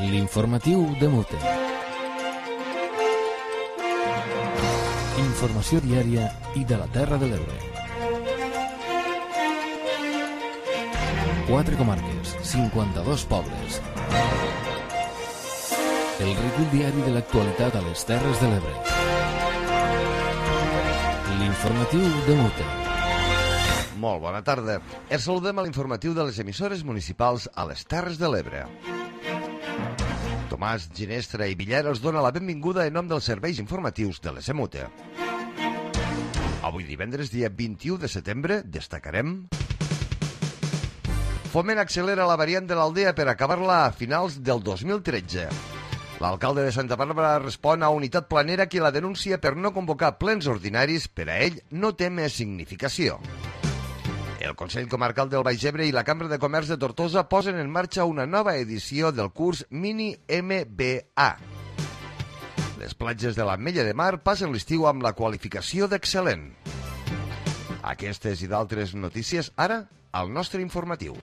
L'informatiu de Mute. Informació diària i de la Terra de l'Ebre. 4 comarques, 52 pobles. El recull diari de l'actualitat a les Terres de l'Ebre. L'informatiu de Mute. Molt bona tarda. Els saludem a l'informatiu de les emissores municipals a les Terres de l'Ebre. Tomàs Ginestra i Villera us dona la benvinguda en nom dels serveis informatius de l'ESEMUTE. Avui divendres, dia 21 de setembre, destacarem: Foment accelera la variant de l'Aldea per acabar-la a finals del 2013. L'alcalde de Santa Bàrbara respon a Unitat Planera que la denuncia per no convocar plens ordinaris per a ell no té més significació. El Consell Comarcal del Baix Ebre i la Cambra de Comerç de Tortosa posen en marxa una nova edició del curs Mini MBA. Les platges de l'Ametlla de Mar passen l'estiu amb la qualificació d'excel·lent. Aquestes i d'altres notícies ara al nostre informatiu.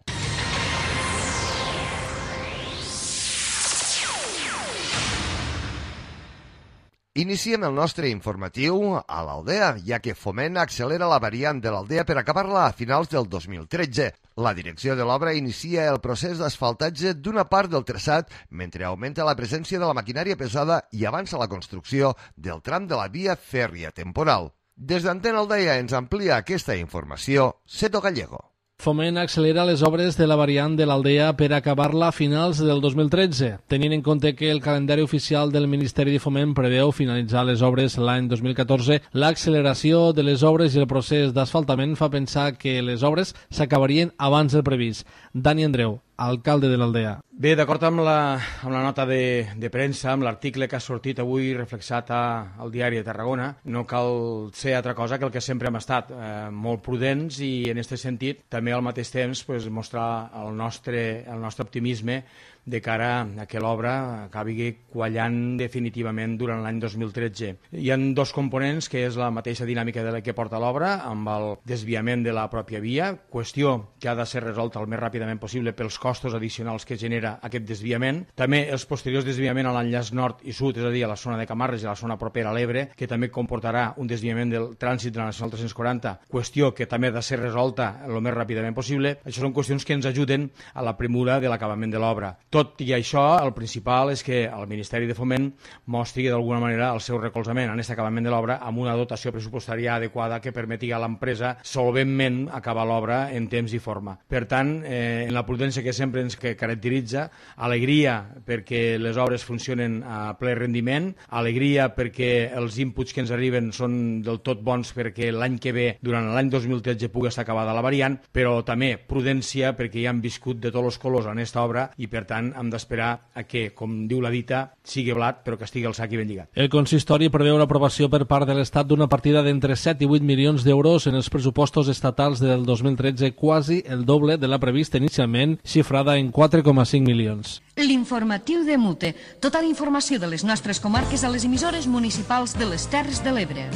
Iniciem el nostre informatiu a l'Aldea, ja que Foment accelera la variant de l'Aldea per acabar-la a finals del 2013. La direcció de l'obra inicia el procés d'asfaltatge d'una part del traçat mentre augmenta la presència de la maquinària pesada i avança la construcció del tram de la via fèrria temporal. Des d'Antena Aldea ens amplia aquesta informació Seto Gallego. Foment accelera les obres de la variant de l'Aldea per acabar-la a finals del 2013. Tenint en compte que el calendari oficial del Ministeri de Foment preveu finalitzar les obres l'any 2014, l'acceleració de les obres i el procés d'asfaltament fa pensar que les obres s'acabarien abans del previst. Dani Andreu, alcalde de l'Aldea. Bé, d'acord amb la nota de premsa, amb l'article que ha sortit avui reflexat al diari de Tarragona, no cal ser altra cosa que el que sempre hem estat, molt prudents i en aquest sentit també al mateix temps mostrar el nostre optimisme de cara a que l'obra acabi quallant definitivament durant l'any 2013. Hi ha dos components, que és la mateixa dinàmica de la que porta l'obra, amb el desviament de la pròpia via, qüestió que ha de ser resolta el més ràpidament possible pels costos addicionals que genera aquest desviament. També els posteriors desviaments a l'enllaç nord i sud, és a dir, a la zona de Camarles i a la zona propera a l'Ebre, que també comportarà un desviament del trànsit de la Nacional 340, qüestió que també ha de ser resolta el més ràpidament possible. Això són qüestions que ens ajuden a la premura de l'acabament de l'obra. Tot i això, el principal és que el Ministeri de Foment mostri d'alguna manera el seu recolzament en aquest acabament de l'obra amb una dotació pressupostària adequada que permeti a l'empresa solventment acabar l'obra en temps i forma. Per tant, en la prudència que sempre ens caracteritza, alegria perquè les obres funcionen a ple rendiment, alegria perquè els inputs que ens arriben són del tot bons perquè l'any que ve, durant l'any 2013, pugui estar acabada la variant, però també prudència perquè ja han viscut de tots els colors en aquesta obra i per tant hem d'esperar a que, com diu la dita, sigui blat però que estigui al sac i ben lligat. El consistori preveu l'aprovació per part de l'Estat d'una partida d'entre 7 i 8 milions d'euros en els pressupostos estatals del 2013, quasi el doble de la prevista inicialment, xifrada en 4,5 milions. L'informatiu de Mute. Tota la informació de les nostres comarques a les emissores municipals de les Terres de l'Ebre.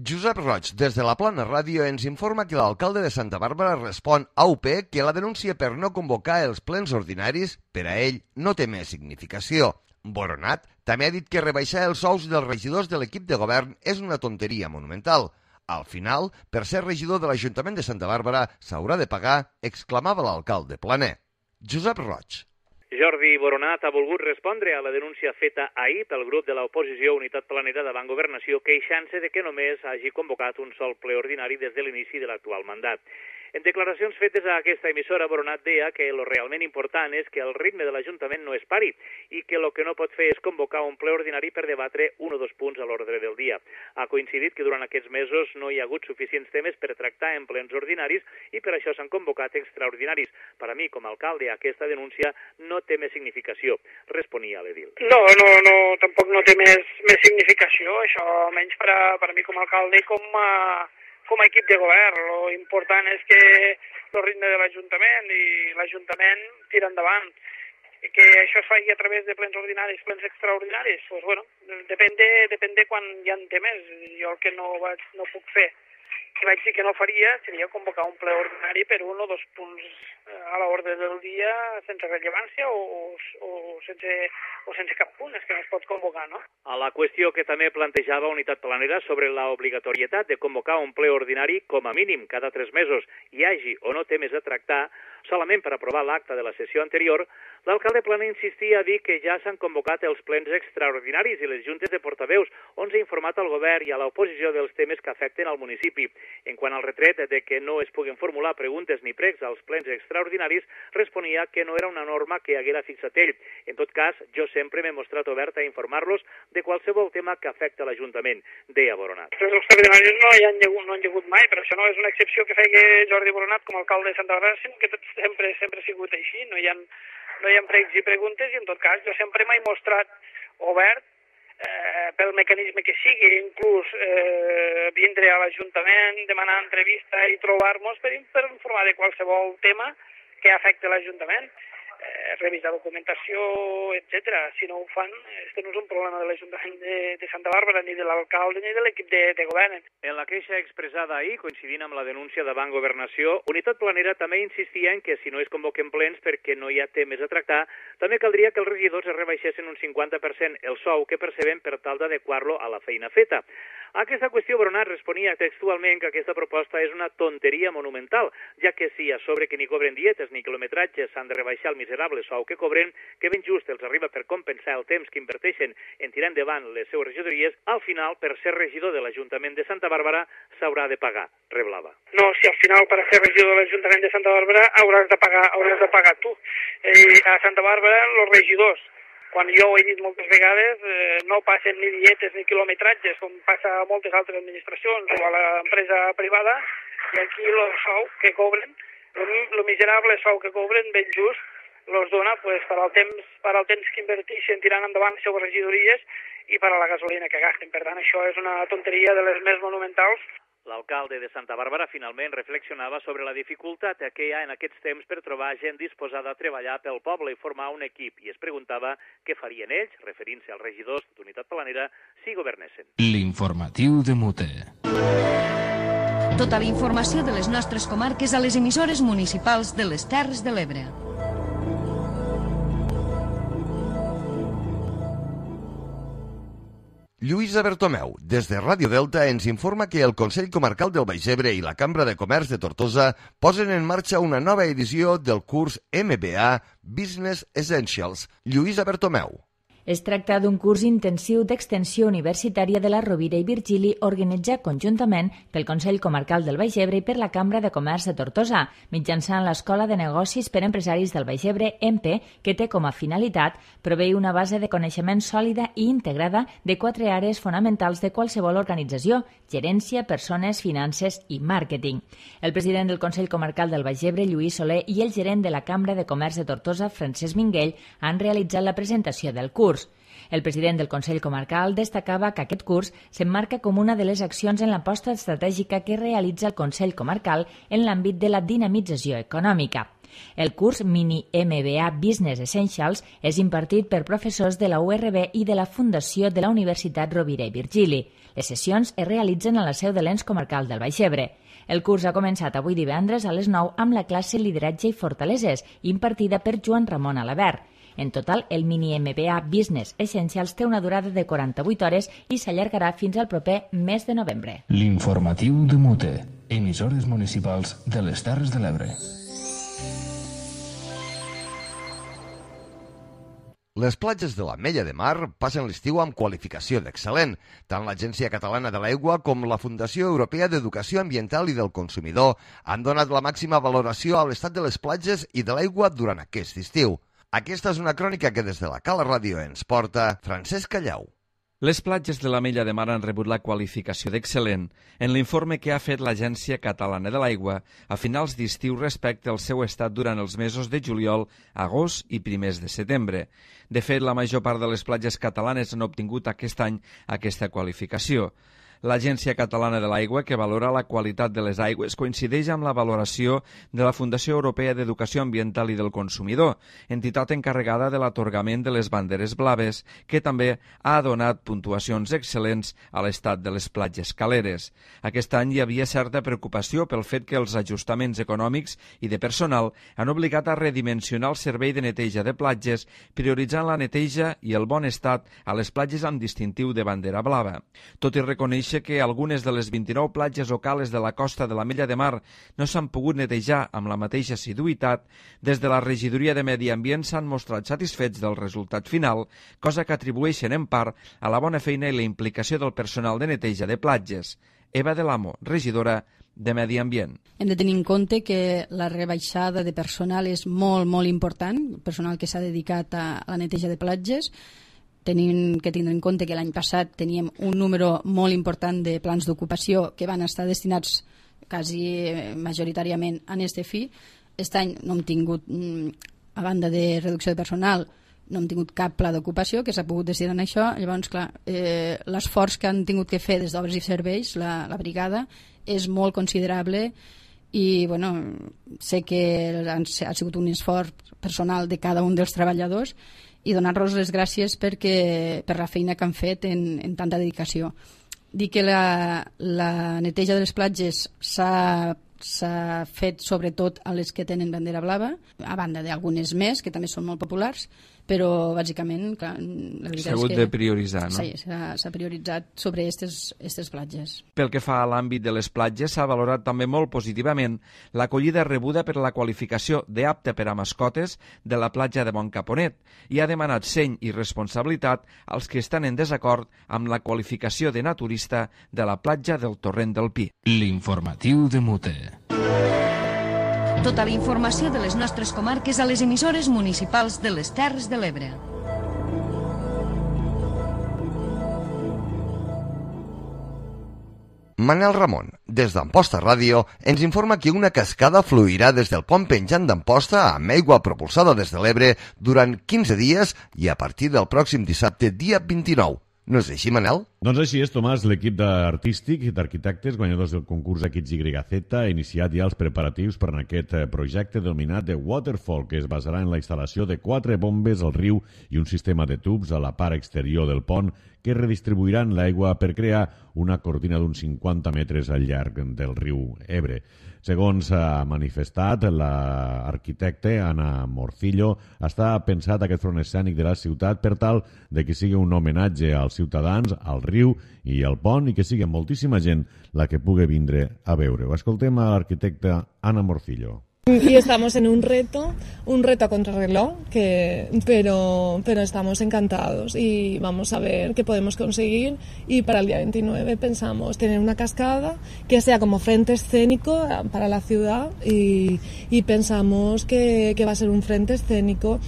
Josep Roig, des de la Plana Ràdio, ens informa que l'alcalde de Santa Bàrbara respon a UP que la denúncia per no convocar els plens ordinaris per a ell no té més significació. Boronat també ha dit que rebaixar els sous dels regidors de l'equip de govern és una tonteria monumental. Al final, per ser regidor de l'Ajuntament de Santa Bàrbara s'haurà de pagar, exclamava l'alcalde planer. Josep Roig. Jordi Boronat ha volgut respondre a la denúncia feta ahir pel grup de l'oposició Unitat Planera davant Governació, queixant-se de que només hagi convocat un sol ple ordinari des de l'inici de l'actual mandat. En declaracions fetes a aquesta emissora, Boronat deia que el realment important és que el ritme de l'Ajuntament no es pari i que el que no pot fer és convocar un ple ordinari per debatre un o dos punts a l'ordre del dia. Ha coincidit que durant aquests mesos no hi ha hagut suficients temes per tractar en plens ordinaris i per això s'han convocat extraordinaris. Per a mi, com a alcalde, aquesta denúncia no té més significació, responia l'edil. No, tampoc no té més significació, això almenys per a mi com a alcalde i com a equip de govern. Lo important és que el ritme de l'Ajuntament i l'Ajuntament tira endavant. Que això es faci a través de plens ordinaris, plens extraordinaris, pues bueno, depèn de quan hi ha temes. Jo el que no puc fer que vaig dir que no faria seria convocar un ple ordinari per un o dos punts a l'ordre del dia sense rellevància o sense cap punt, és que no es pot convocar, no? A la qüestió que també plantejava Unitat Planera sobre l'obligatorietat de convocar un ple ordinari com a mínim cada 3 mesos, hi hagi o no temes a tractar, solament per aprovar l'acta de la sessió anterior, l'alcalde Plana insistia a dir que ja s'han convocat els plens extraordinaris i les juntes de portaveus, on s'ha informat al govern i a l'oposició dels temes que afecten al municipi. En quant al retret de que no es puguen formular preguntes ni pregs als plens extraordinaris, responia que no era una norma que haguera fixat ell. En tot cas, jo sempre m'he mostrat obert a informar-los de qualsevol tema que afecta l'Ajuntament, deia Boronat. Els extraordinaris no han hagut mai, però això no és una excepció que feia Jordi Boronat com a alcalde de Santa Bàrbara, sinó que sempre ha sigut així, no hi ha pregs i preguntes, i en tot cas jo sempre m'he mostrat obert pel mecanisme que sigui, inclús vindre a l'Ajuntament, demanar entrevista i trobar-nos per informar de qualsevol tema que afecta l'Ajuntament, revisar documentació, etc. Si no ho fan, este no és un problema de l'Ajuntament de Santa Bàrbara, ni de l'alcalde, ni de l'equip de govern. En la queixa expressada ahir, coincidint amb la denúncia davant Governació, Unitat Planera també insistia en que si no es convoquen plens perquè no hi ha temes a tractar, també caldria que els regidors es rebaixessin un 50% el sou que perceben per tal d'adequar-lo a la feina feta. A aquesta qüestió, Boronat responia textualment que aquesta proposta és una tonteria monumental, ja que si a sobre que ni cobren dietes ni quilometratges s'han de rebaixar el miserable sou que cobren, que ben just els arriba per compensar el temps que inverteixen en tirar endavant les seues regidories, al final, per ser regidor de l'Ajuntament de Santa Bàrbara, s'haurà de pagar, reblava. No, si al final per ser regidor de l'Ajuntament de Santa Bàrbara hauràs de pagar tu. A Santa Bàrbara, els regidors, quan jo ho he dit moltes vegades, no passen ni dietes ni quilometratges, com passa a moltes altres administracions o a l'empresa privada, i aquí el sou que cobren, el miserable sou que cobren, ben just, els dona per al temps que inverteixen tirant endavant les seues regidories i per a la gasolina que gasten. Per tant, això és una tonteria de les més monumentals. L'alcalde de Santa Bàrbara finalment reflexionava sobre la dificultat que hi ha en aquests temps per trobar gent disposada a treballar pel poble i formar un equip, i es preguntava què farien ells, referint-se als regidors d'Unitat Planera, si governessin. L'informatiu de Mute. Tota la informació de les nostres comarques a les emissores municipals de les Terres de l'Ebre. Lluïsa Bertomeu, des de Ràdio Delta, ens informa que el Consell Comarcal del Baix Ebre i la Cambra de Comerç de Tortosa posen en marxa una nova edició del curs MBA Business Essentials. Lluïsa Bertomeu. Es tracta d'un curs intensiu d'extensió universitària de la Rovira i Virgili organitzat conjuntament pel Consell Comarcal del Baix Ebre i per la Cambra de Comerç de Tortosa, mitjançant l'Escola de Negocis per Empresaris del Baix Ebre, EMPE, que té com a finalitat proveir una base de coneixement sòlida i integrada de 4 àrees fonamentals de qualsevol organització: gerència, persones, finances i màrqueting. El president del Consell Comarcal del Baix Ebre, Lluís Soler, i el gerent de la Cambra de Comerç de Tortosa, Francesc Minguell, han realitzat la presentació del curs. El president del Consell Comarcal destacava que aquest curs s'emmarca com una de les accions en l'aposta estratègica que realitza el Consell Comarcal en l'àmbit de la dinamització econòmica. El curs Mini MBA Business Essentials és impartit per professors de la URB i de la Fundació de la Universitat Rovira i Virgili. Les sessions es realitzen a la seu de l'ens comarcal del Baix Ebre. El curs ha començat avui divendres a les 9 amb la classe Lideratge i Fortaleses, impartida per Joan Ramon Alabert. En total, el Mini MBA Business Essentials té una durada de 48 hores i s'allargarà fins al proper mes de novembre. L'informatiu de Mute. Emissores municipals de les Terres de l'Ebre. Les platges de l'Ametlla de Mar passen l'estiu amb qualificació d'excel·lent. Tant l'Agència Catalana de l'Aigua com la Fundació Europea d'Educació Ambiental i del Consumidor han donat la màxima valoració a l'estat de les platges i de l'aigua durant aquest estiu. Aquesta és una crònica que des de la Cala Ràdio ens porta Francesc Callau. Les platges de l'Ametlla de Mar han rebut la qualificació d'excel·lent en l'informe que ha fet l'Agència Catalana de l'Aigua a finals d'estiu respecte al seu estat durant els mesos de juliol, agost i primers de setembre. De fet, la major part de les platges catalanes han obtingut aquest any aquesta qualificació. L'Agència Catalana de l'Aigua, que valora la qualitat de les aigües, coincideix amb la valoració de la Fundació Europea d'Educació Ambiental i del Consumidor, entitat encarregada de l'atorgament de les banderes blaves, que també ha donat puntuacions excel·lents a l'estat de les platges caleres. Aquest any hi havia certa preocupació pel fet que els ajustaments econòmics i de personal han obligat a redimensionar el servei de neteja de platges, prioritzant la neteja i el bon estat a les platges amb distintiu de bandera blava. Tot i reconèixer que algunes de les 29 platges o cales de la costa de l'Ametlla de Mar no s'han pogut netejar amb la mateixa assiduïtat, des de la Regidoria de Medi Ambient s'han mostrat satisfets del resultat final, cosa que atribueixen en part a la bona feina i la implicació del personal de neteja de platges. Eva de l'Amo, regidora de Medi Ambient. Hem de tenir en compte que la rebaixada de personal és molt, molt important, personal que s'ha dedicat a la neteja de platges. Tenim que tindre en compte que l'any passat teníem un número molt important de plans d'ocupació que van estar destinats quasi majoritàriament a este fi. Aquest any no hem tingut, a banda de reducció de personal, no hem tingut cap pla d'ocupació que s'ha pogut destinar a això. Llavors, clar, l'esforç que han tingut que fer des d'Obres i Serveis, la brigada, és molt considerable i bueno, sé que ha sigut un esforç personal de cada un dels treballadors i donar-los les gràcies per la feina que han fet en tanta dedicació. Dir que la neteja de les platges s'ha fet sobretot a les que tenen bandera blava, a banda d'algunes més, que també són molt populars, però bàsicament clar, la veritat s'ha hagut de prioritzar, no? Sí, s'ha prioritzat sobre aquestes platges. Pel que fa a l'àmbit de les platges, s'ha valorat també molt positivament l'acollida rebuda per la qualificació d'apte per a mascotes de la platja de Boncaponet i ha demanat seny i responsabilitat als que estan en desacord amb la qualificació de naturista de la platja del Torrent del Pi. L'informatiu de Mute. Tota la informació de les nostres comarques a les emissores municipals de les Terres de l'Ebre. Manel Ramon, des d'Amposta Ràdio, ens informa que una cascada fluirà des del pont penjant d'Amposta amb aigua propulsada des de l'Ebre durant 15 dies i a partir del pròxim dissabte, dia 29. No és així, Manel? Doncs així és, Tomàs. L'equip artístic d'arquitectes guanyadors del concurs XYZ ha iniciat ja els preparatius per a aquest projecte denominat The Waterfall, que es basarà en la instal·lació de 4 bombes al riu i un sistema de tubs a la part exterior del pont que redistribuiran l'aigua per crear una cortina d'uns 50 metres al llarg del riu Ebre. Segons ha manifestat l'arquitecte Ana Morcillo, està pensat aquest front escènic de la ciutat per tal de que sigui un homenatge als ciutadans, al riu i al pont i que sigui moltíssima gent la que pugui vindre a veure-ho. Escoltem a l'arquitecta Ana Morcillo. Y estamos en un reto a contrarreloj, pero estamos encantados y vamos a ver qué podemos conseguir. Y para el día 29 pensamos tener una cascada que sea como frente escénico para la ciudad y pensamos que va a ser un frente escénico.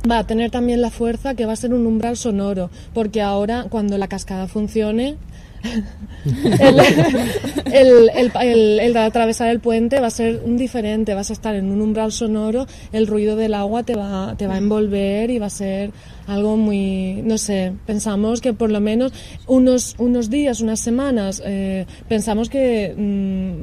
Va a tener también la fuerza que va a ser un umbral sonoro, porque ahora cuando la cascada funcione el atravesar el puente va a ser diferente, vas a estar en un umbral sonoro, el ruido del agua te va a envolver y va a ser algo muy, no sé, pensamos que por lo menos unos días, unas semanas, pensamos que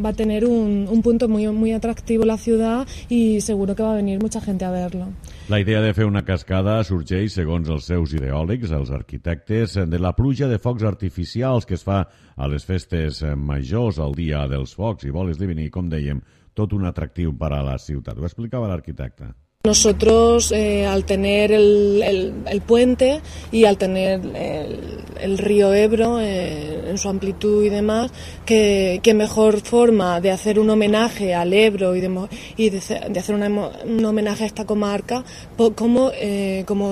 va a tener un punto muy, muy atractivo la ciudad y seguro que va a venir mucha gente a verlo. La idea de fer una cascada sorgeix, segons els seus ideòlegs, els arquitectes, de la pluja de focs artificials que es fa a les festes majors, al dia dels focs, i vol esdevenir, com dèiem, tot un atractiu per a la ciutat. Ho explicava l'arquitecte. Nosotros, al tener el puente y al tener el río Ebro en su amplitud y demás, qué mejor forma de hacer un homenaje al Ebro y de hacer un homenaje a esta comarca, como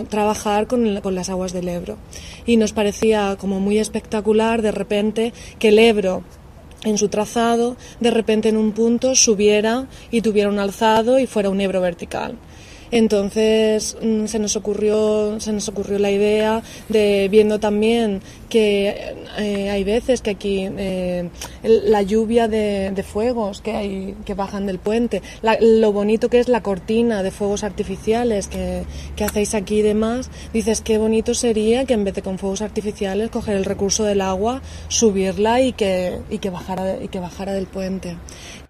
trabajar con las aguas del Ebro. Y nos parecía como muy espectacular de repente que el Ebro, en su trazado, de repente en un punto subiera y tuviera un alzado y fuera un Ebro vertical. Entonces se nos ocurrió la idea de, viendo también que hay veces que aquí la lluvia de fuegos que bajan del puente, lo bonito que es la cortina de fuegos artificiales que hacéis aquí y demás, dices qué bonito sería que en vez de con fuegos artificiales coger el recurso del agua, subirla y que bajara del puente.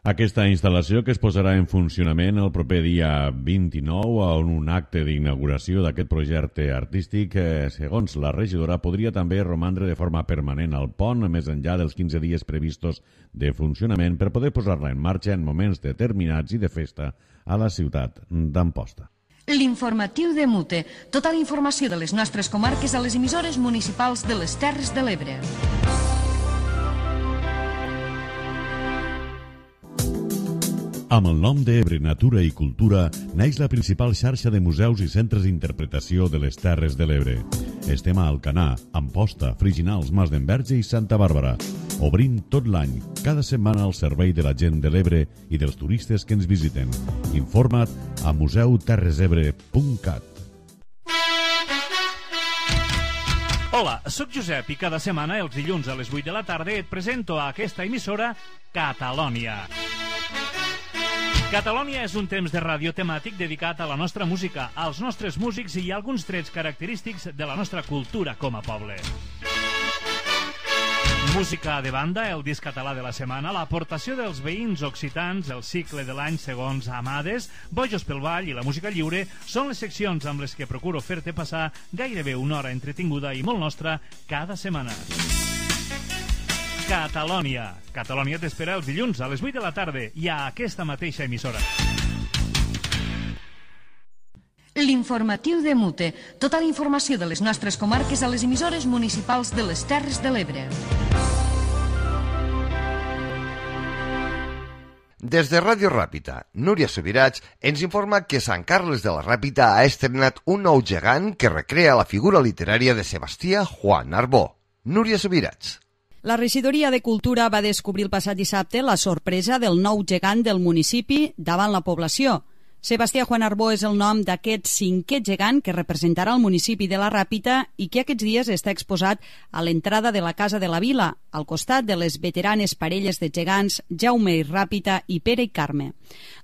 Aquesta instal·lació, que es posarà en funcionament el proper dia 29 en un acte d'inauguració d'aquest projecte artístic, segons la regidora, podria també romandre de forma permanent al pont més enllà dels 15 dies previstos de funcionament per poder posar-la en marxa en moments determinats i de festa a la ciutat d'Amposta. L'informatiu de Mute. Tota la informació de les nostres comarques a les emissores municipals de les Terres de l'Ebre. Amb el nom d'Ebre Natura i Cultura neix la principal xarxa de museus i centres d'interpretació de les Terres de l'Ebre. Estem a Alcanar, Amposta, Friginals, Mas d'Enverge i Santa Bàrbara. Obrint tot l'any, cada setmana al servei de la gent de l'Ebre i dels turistes que ens visiten. Informa't a museuterresebre.cat. Hola, sóc Josep i cada setmana, els dilluns a les 8 de la tarda, et presento a aquesta emissora Catalònia. Catalònia és un temps de ràdio temàtic dedicat a la nostra música, als nostres músics i a alguns trets característics de la nostra cultura com a poble. Música de banda, el disc català de la setmana, l'aportació dels veïns occitans, el cicle de l'any segons Amades, Bojos pel Ball i la música lliure són les seccions amb les que procuro fer-te passar gairebé una hora entretinguda i molt nostra cada setmana. Catalònia. Catalònia t'espera els dilluns a les 8 de la tarda i a aquesta mateixa emissora. L'informatiu de Mute. Tota la informació de les nostres comarques a les emissores municipals de les Terres de l'Ebre. Des de Ràdio Ràpita, Núria Subirats ens informa que Sant Carles de la Ràpita ha estrenat un nou gegant que recrea la figura literària de Sebastià Juan Arbó. Núria Subirats. La regidoria de Cultura va descobrir el passat dissabte la sorpresa del nou gegant del municipi davant la població. Sebastià Juan Arbó és el nom d'aquest cinquè gegant que representarà el municipi de la Ràpita i que aquests dies està exposat a l'entrada de la Casa de la Vila, al costat de les veteranes parelles de gegants Jaume i Ràpita i Pere i Carme.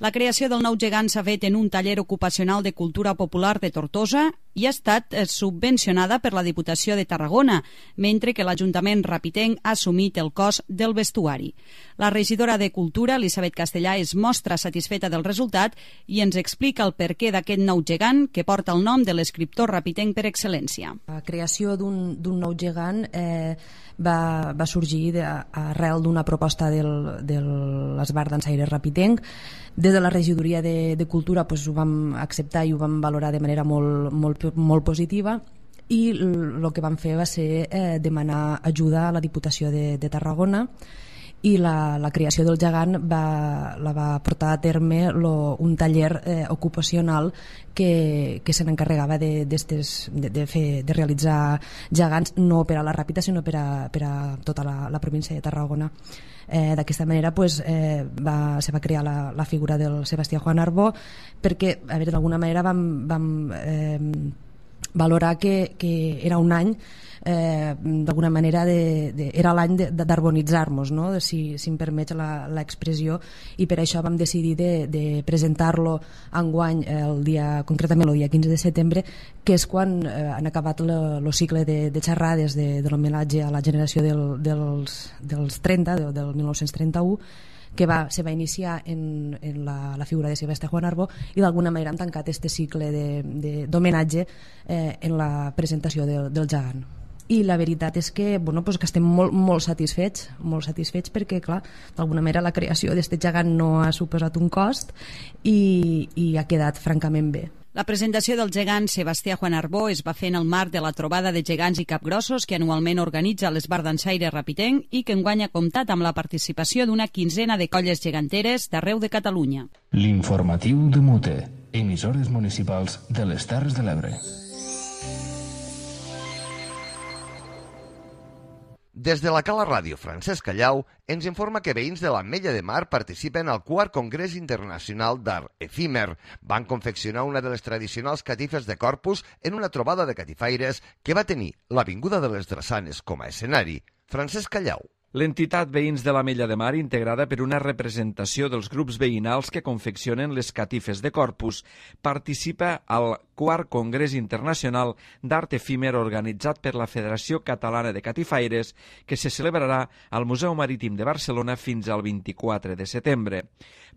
La creació del nou gegant s'ha fet en un taller ocupacional de cultura popular de Tortosa i ha estat subvencionada per la Diputació de Tarragona, mentre que l'Ajuntament rapitenc ha assumit el cost del vestuari. La regidora de Cultura, Elisabet Castellà, es mostra satisfeta del resultat i ens explica el perquè d'aquest nou gegant que porta el nom de l'escriptor rapitenc per excel·lència. La creació d'un nou gegant va sorgir arrel d'una proposta de l'Esbart Dansaire Rapitenc. Des de la regidoria de Cultura ho vam acceptar i ho vam valorar de manera molt positiva i el que vam fer va ser demanar ajuda a la Diputació de Tarragona i la creació del gegant la va portar a terme un taller ocupacional que se n'encarregava de realitzar gegants no per a la Ràpita sinó per a tota la província de Tarragona. D'aquesta manera se va crear la figura del Sebastià Juan Arbó perquè d'alguna manera vam valorar que era un any d'alguna manera era l'any d'arbonitzar-nos, no? Si em permets l'expressió, i per això vam decidir de presentar-lo enguany concretament el dia 15 de setembre, que és quan han acabat el cicle de xerrades de l'homenatge a la generació dels 30, del 1931, que se va iniciar en la figura de Sebastià Juan Arbó i d'alguna manera hem tancat aquest cicle d'homenatge en la presentació del gegant. I la veritat és que estem molt satisfets perquè, clar, d'alguna manera la creació d'aquest gegant no ha suposat un cost i ha quedat francament bé. La presentació del gegant Sebastià Juan Arbó es va fer en el marc de la trobada de gegants i capgrossos que anualment organitza l'Esbart Dansaire Rapitenc i que enguany ha comptat amb la participació d'una quinzena de colles geganteres d'arreu de Catalunya. L'informatiu de Mute, emissores municipals de les Terres de l'Ebre. Des de la Cala Ràdio, Francesc Callau ens informa que veïns de l'Ametlla de Mar participen al 4 Congrés Internacional d'Art Efímer. Van confeccionar una de les tradicionals catifes de Corpus en una trobada de catifaires que va tenir l'Avinguda de les Drassanes com a escenari. Francesc Callau. L'entitat Veïns de l'Ametlla de Mar, integrada per una representació dels grups veïnals que confeccionen les catifes de Corpus, participa al 4 Congrés Internacional d'Art Efímer organitzat per la Federació Catalana de Catifaires, que se celebrarà al Museu Marítim de Barcelona fins al 24 de setembre.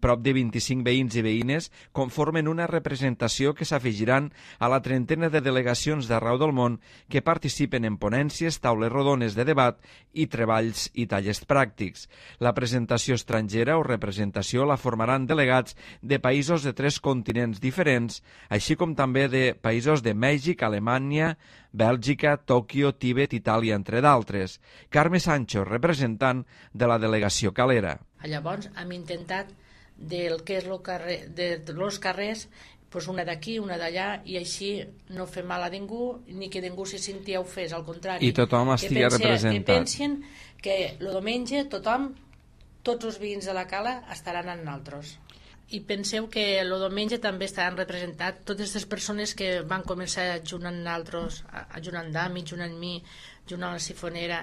Prop de 25 veïns i veïnes conformen una representació que s'afegiran a la trentena de delegacions d'arreu del món que participen en ponències, taules rodones de debat i treballs i tallers pràctics. La presentació estrangera o representació la formaran delegats de països de 3 continents diferents, així com també de països de Mèxic, Alemanya, Bèlgica, Tòquio, Tíbet, Itàlia, entre d'altres. Carme Sancho, representant de la delegació calera. Llavors hem intentat del que és els carrers, pues una d'aquí, una d'allà, i així no fer mal a ningú, ni que ningú se sentia ofès, al contrari. I tothom estigui representat. Que pensen que el diumenge tothom, tots els veïns de la Cala estaran amb nosaltres. I penseu que el diumenge també estaran representats totes aquestes persones que van començar junt amb nosaltres, junt amb Dami, junt amb mi, junt amb la Sifonera,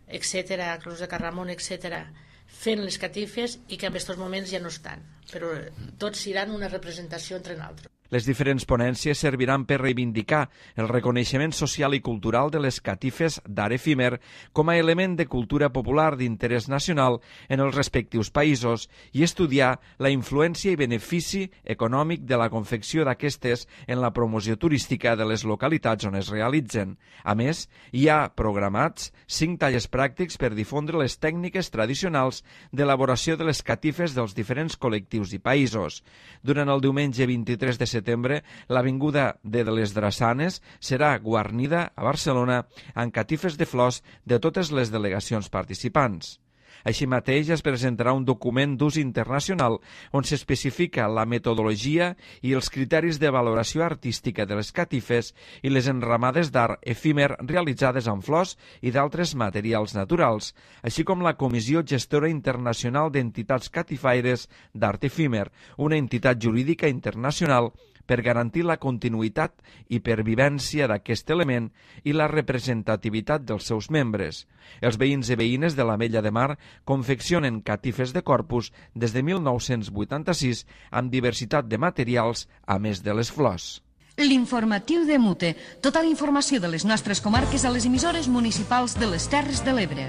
etc., Cruz de Carramon, etc., fent les catifes i que en aquests moments ja no estan, però tots seran una representació entre nosaltres. Les diferents ponències serviran per reivindicar el reconeixement social i cultural de les catifes d'art efímer com a element de cultura popular d'interès nacional en els respectius països i estudiar la influència i benefici econòmic de la confecció d'aquestes en la promoció turística de les localitats on es realitzen. A més, hi ha programats 5 tallers pràctics per difondre les tècniques tradicionals d'elaboració de les catifes dels diferents col·lectius i països. Durant el diumenge 23 de setembre, l'Avinguda de les Drassanes serà guarnida a Barcelona amb catifes de flors de totes les delegacions participants. Així mateix es presentarà un document d'ús internacional on s'especifica la metodologia i els criteris de valoració artística de les catifes i les enramades d'art efímer realitzades amb flors i d'altres materials naturals, així com la Comissió Gestora Internacional d'Entitats Catifaires d'Art Efímer, una entitat jurídica internacional per garantir la continuïtat i pervivència d'aquest element i la representativitat dels seus membres. Els veïns i veïnes de l'Ametlla de Mar confeccionen catifes de Corpus des de 1986 amb diversitat de materials, a més de les flors. L'informatiu de Mute. Tota la informació de les nostres comarques a les emissores municipals de les Terres de l'Ebre.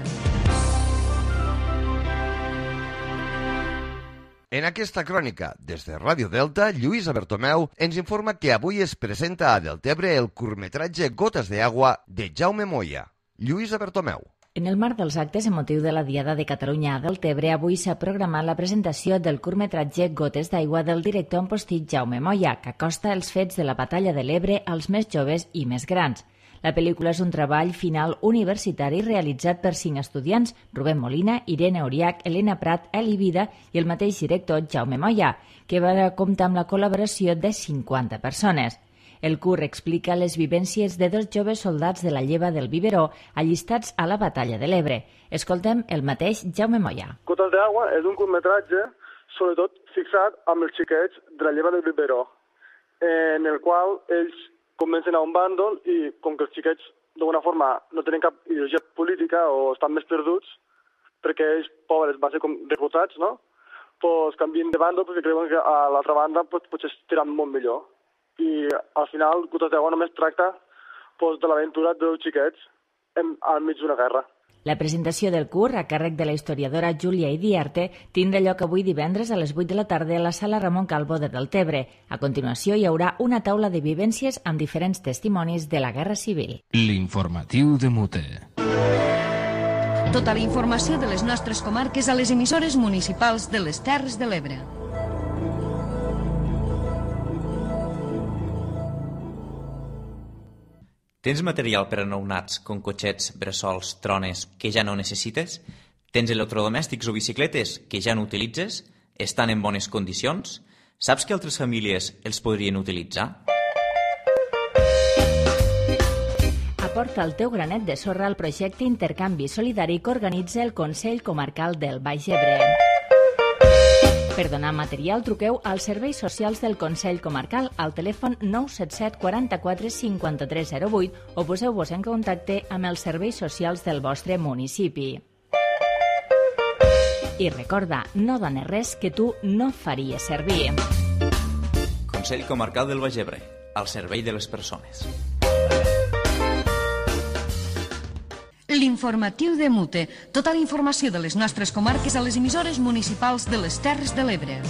En aquesta crònica, des de Ràdio Delta, Lluïsa Bertomeu ens informa que avui es presenta a Deltebre el curtmetratge Gotes de Agua de Jaume Moya. Lluïsa Bertomeu. En el marc dels actes en motiu de la Diada de Catalunya a Deltebre, avui s'ha programat la presentació del curtmetratge Gotes d'Aigua del director en postit Jaume Moya, que acosta els fets de la batalla de l'Ebre als més joves i més grans. La pel·lícula és un treball final universitari realitzat per 5 estudiants, Rubén Molina, Irene Oriach, Elena Prat, Eli Vida i el mateix director Jaume Moya, que va comptar amb la col·laboració de 50 persones. El curt explica les vivències de 2 joves soldats de la lleva del Biberó allistats a la batalla de l'Ebre. Escoltem el mateix Jaume Moya. Gotes d'Agua és un curtmetratge sobretot fixat amb els xiquets de la lleva del Biberó, en el qual ells comencen a un bàndol i com que els xiquets d'alguna forma no tenen cap ideologia política o estan més perduts perquè ells, pobres, van ser com reclutats, no? Pues canvien de bàndol perquè creuen que a l'altra banda potser estiran molt millor. I al final Gotes d'Agua només tracta de l'aventura dels xiquets al mig d'una guerra. La presentació del curt, a càrrec de la historiadora Júlia Idiarte, tindrà lloc avui divendres a les 8 de la tarda a la sala Ramon Calvo de Deltebre. A continuació hi haurà una taula de vivències amb diferents testimonis de la Guerra Civil. L'informatiu de Mute. Tota la informació de les nostres comarques a les emissores municipals de les Terres de l'Ebre. Tens material per a nounats, com cotxets, bressols, trones, que ja no necessites? Tens electrodomèstics o bicicletes que ja no utilitzes? Estan en bones condicions? Saps que altres famílies els podrien utilitzar? aporta el teu granet de sorra al projecte Intercanvi Solidari que organitza el Consell Comarcal del Baix Ebre. Per donar material, truqueu als serveis socials del Consell Comarcal al telèfon 977 44 5308 o poseu-vos en contacte amb els serveis socials del vostre municipi. I recorda, no dones res que tu no faries servir. Consell Comarcal del Baix Ebre, al servei de les persones. L'informatiu de Mute. Tota la informació de les nostres comarques a les emissores municipals de les Terres de l'Ebre.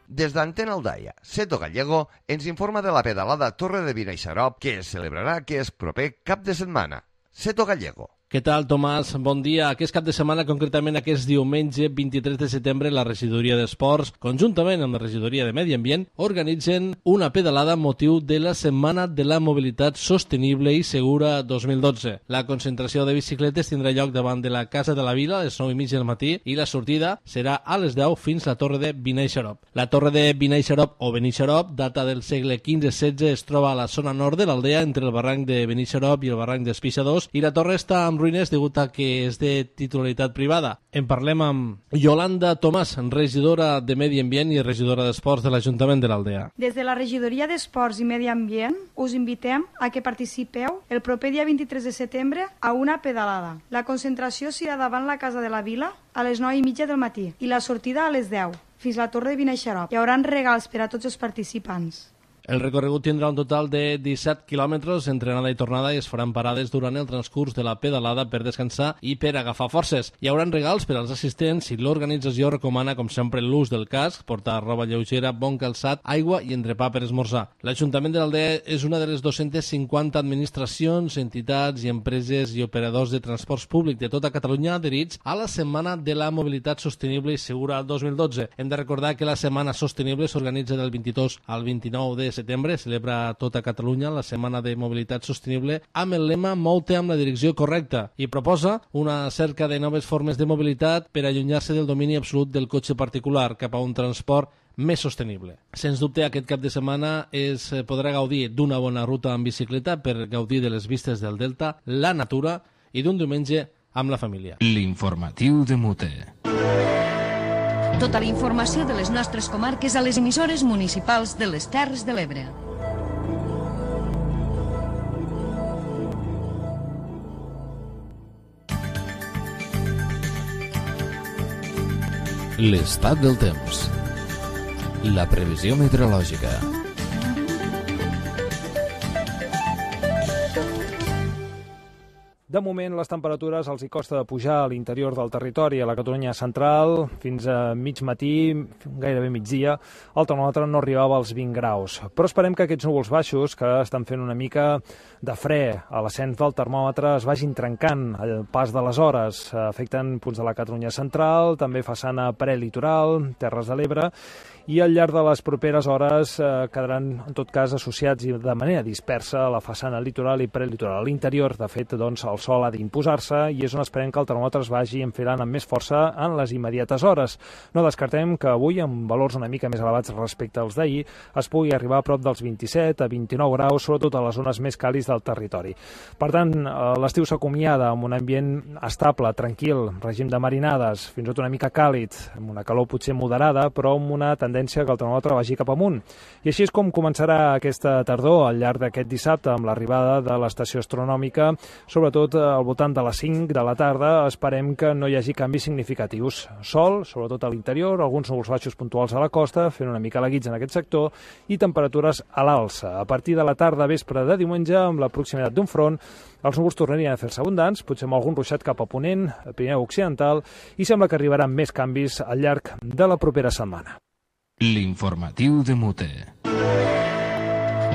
Des d'Antena Aldaia, Seto Gallego ens informa de la pedalada Torre de Vineixarop que es celebrarà aquest proper cap de setmana. Seto Gallego. Què tal, Tomàs? Bon dia. Aquest cap de setmana, concretament aquest diumenge 23 de setembre, la Regidoria d'Esports, conjuntament amb la Regidoria de Medi Ambient, organitzen una pedalada amb motiu de la Setmana de la Mobilitat Sostenible i Segura 2012. La concentració de bicicletes tindrà lloc davant de la Casa de la Vila a les 9:30 del matí i la sortida serà a les 10 fins a la Torre de Vineixarop. La Torre de Vineixarop o Benixarop, data del segle XV-XVI, es troba a la zona nord de l'aldea entre el barranc de Benixarop i el barranc d'Espixadors i la torre està amb ruïnes degut a que és de titularitat privada. En parlem amb Yolanda Tomàs, regidora de Medi Ambient i regidora d'Esports de l'Ajuntament de l'Aldea. Des de la Regidoria d'Esports i Medi Ambient us invitem a que participeu el proper dia 23 de setembre a una pedalada. La concentració serà davant la Casa de la Vila a les 9:30 del matí i la sortida a les 10 fins a la Torre de Vineixarop. Hi haurà regals per a tots els participants. El recorregut tindrà un total de 17 quilòmetres entre anada i tornada i es faran parades durant el transcurs de la pedalada per descansar i per agafar forces. Hi haurà regals per als assistents i l'organització recomana, com sempre, l'ús del casc, portar roba lleugera, bon calçat, aigua i entrepà per esmorzar. L'Ajuntament de l'Aldea és una de les 250 administracions, entitats i empreses i operadors de transports públic de tota Catalunya adherits a la Setmana de la Mobilitat Sostenible i Segura 2012. Hem de recordar que la Setmana Sostenible s'organitza del 22 al 29 de setembre, celebra a tota Catalunya la Setmana de Mobilitat Sostenible amb el lema Mou-te amb la direcció correcta i proposa una cerca de noves formes de mobilitat per allunyar-se del domini absolut del cotxe particular cap a un transport més sostenible. Sens dubte, aquest cap de setmana es podrà gaudir d'una bona ruta en bicicleta per gaudir de les vistes del Delta, la natura i d'un diumenge amb la família. L'informatiu de Mute. Tota la informació de les nostres comarques a les emissores municipals de les Terres de l'Ebre. L'estat del temps. La previsió meteorològica. De moment, les temperatures els hi costa de pujar a l'interior del territori, a la Catalunya central, fins a mig matí, gairebé migdia, el termòmetre no arribava als 20 graus. Però esperem que aquests núvols baixos, que estan fent una mica de fre a l'ascens del termòmetre, es vagin trencant al pas de les hores. Afecten punts de la Catalunya central, també façana prelitoral, Terres de l'Ebre, i al llarg de les properes hores quedaran, en tot cas, associats i de manera dispersa a la façana litoral i prelitoral. A l'interior, de fet, doncs, el sol ha d'imposar-se i és on esperem que el termòmetre es vagi enfilant amb més força en les immediates hores. No descartem que avui, amb valors una mica més elevats respecte als d'ahir, es pugui arribar a prop dels 27 a 29 graus, sobretot a les zones més càlides del territori. Per tant, l'estiu s'acomiada amb un ambient estable, tranquil, règim de marinades, fins i tot una mica càlid, amb una calor potser moderada, però amb una tendència que el termòmetre vagi cap amunt. I així és com començarà aquesta tardor al llarg d'aquest dissabte amb l'arribada de l'estació astronòmica, sobretot al voltant de les 5 de la tarda. Esperem que no hi hagi canvis significatius. Sol, sobretot a l'interior, alguns núvols baixos puntuals a la costa, fent una mica la guitza en aquest sector, i temperatures a l'alça. A partir de la tarda, vespre de diumenge, amb la proximitat d'un front, els núvols tornarien a fer-se abundants, potser amb algun ruixat cap a ponent, a Pirineu Occidental, i sembla que arribaran més canvis al llarg de la propera setmana. L'informatiu de Mute.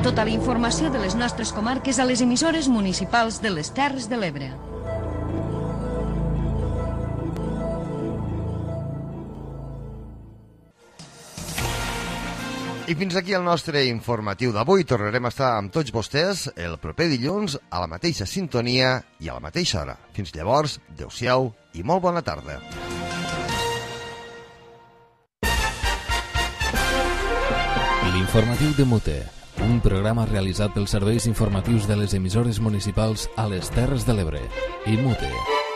Tota la informació de les nostres comarques a les emissores municipals de les Terres de l'Ebre. I fins aquí el nostre informatiu d'avui. Tornarem a estar amb tots vostès el proper dilluns a la mateixa sintonia i a la mateixa hora. Fins llavors, adeu-siau i molt bona tarda. L'informatiu de Mute, un programa realitzat pels serveis informatius de les emissores municipals a les Terres de l'Ebre i Mute.